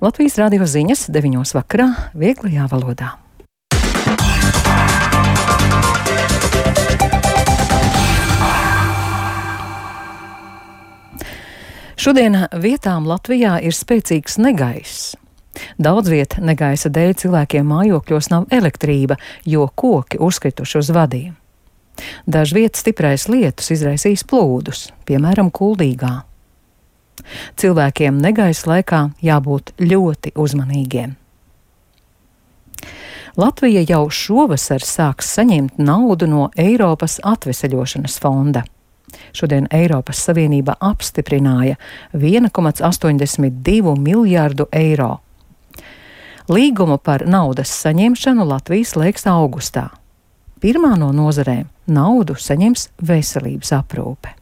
Latvijas radio ziņas 9 vakarā vieglajā valodā. Šodien vietām Latvijā ir spēcīgs negaiss. Daudz viet negaisa dēļ cilvēkiem mājokļos nav elektrība, jo koki uzkrituši uz vadiem. Dažviet stiprais lietus izraisīs plūdus, piemēram, Kuldīgā. Cilvēkiem negaisa laikā jābūt ļoti uzmanīgiem. Latvija jau šovasar sāks saņemt naudu no Eiropas atveseļošanas fonda. Šodien Eiropas Savienība apstiprināja 1,82 miljārdu eiro. Līgumu par naudas saņemšanu Latvija slēgs augustā. Pirmā no nozarēm naudu saņems veselības aprūpe.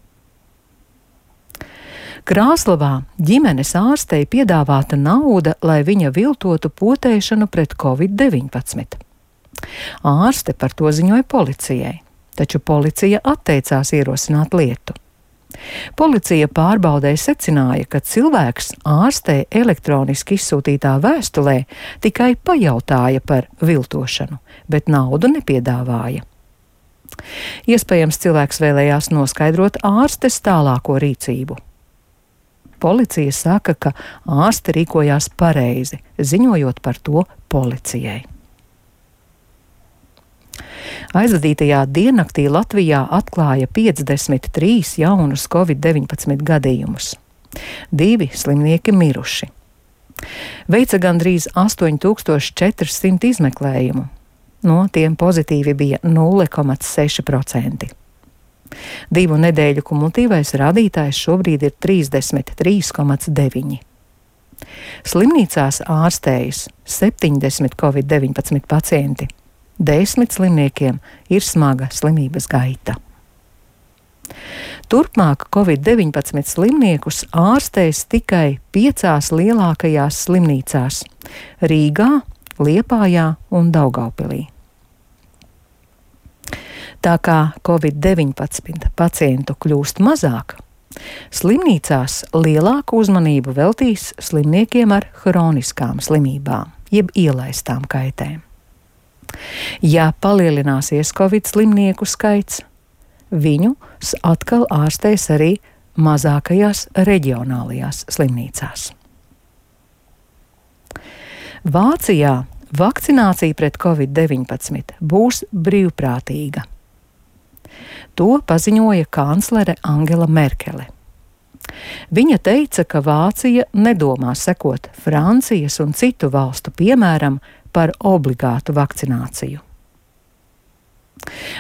Krāslavā ģimenes ārstei piedāvāta nauda, lai viņa viltotu potēšanu pret Covid-19. Ārste par to ziņoja policijai, taču policija atteicās ierosināt lietu. Policija pārbaudē secināja, ka cilvēks ārstei elektroniski izsūtītā vēstulē tikai pajautāja par viltošanu, bet naudu nepiedāvāja. Iespējams, cilvēks vēlējās noskaidrot ārstes tālāko rīcību. Policija saka, ka ārste rīkojās pareizi, ziņojot par to policijai. Aizvadītajā diennaktī Latvijā atklāja 53 jaunus Covid-19 gadījumus. 2 slimnieki miruši. Veica gandrīz 8400 izmeklējumu. No tiem pozitīvi bija 0,6%. 2 nedēļu kumulatīvais rādītājs šobrīd ir 33,9. Slimnīcās ārstējas 70 Covid-19 pacienti. 10 slimniekiem ir smaga slimības gaita. Turpmāk Covid-19 slimniekus ārstēs tikai 5 lielākajās slimnīcās – Rīgā, Liepājā un Daugavpilī. Tā kā Covid-19 pacientu kļūst mazāk, slimnīcās lielāku uzmanību veltīs slimniekiem ar hroniskām slimībām, jeb ielaistām kaitēm. Ja palielināsies Covid slimnieku skaits, viņus atkal ārstēs arī mazākajās reģionālajās slimnīcās. Vācijā vakcinācija pret Covid-19 būs brīvprātīga. To paziņoja kanclere Angela Merkele. Viņa teica, ka Vācija nedomā sekot Francijas un citu valstu piemēram par obligātu vakcināciju.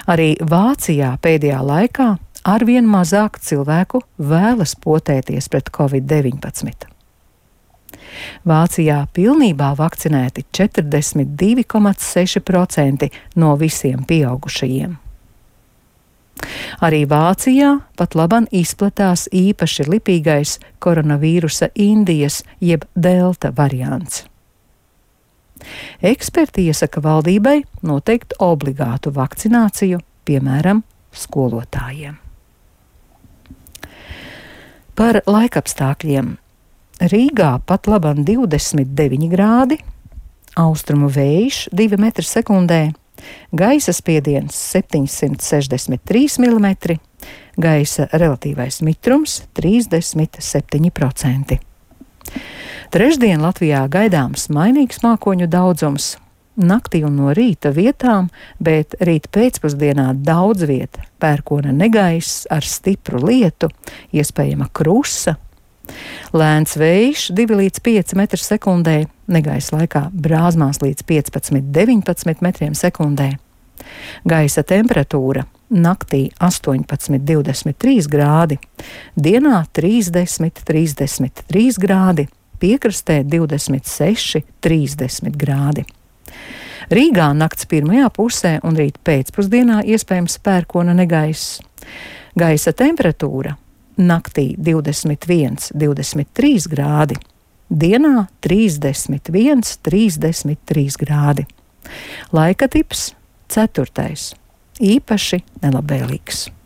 Arī Vācijā pēdējā laikā arvien mazāk cilvēku vēlas potēties pret Covid-19. Vācijā pilnībā vakcinēti 42,6% no visiem pieaugušajiem. Arī Vācijā pat laban izplatās īpaši lipīgais koronavīrusa Indijas jeb delta variants. Eksperti iesaka valdībai noteikt obligātu vakcināciju, piemēram, skolotājiem. Par laikapstākļiem. Rīgā pat laban 29 grādi, austrumu vējš 2 metri sekundē, gaisa spiediens 763 mm, gaisa relatīvais mitrums 37%. Trešdien Latvijā gaidāms mainīgs mākoņu daudzums. Naktī un no rīta vietām, bet rīt pēcpusdienā daudz vieta pērkona negaiss ar stipru lietu, iespējama krusa. Lēns vējš 2 līdz 5 metri sekundē, negaisa laikā brāzmās līdz 15–19 metriem sekundē. Gaisa temperatūra naktī 18–23 grādi, dienā 30–33 grādi, piekrastē 26–30 grādi. Rīgā nakts pirmajā pusē un rīt pēcpusdienā iespējams pērkona negaiss. Gaisa temperatūra naktī 21–23 grādi, dienā 31–33 grādi. Laika tips 4. īpaši nelabvēlīgs.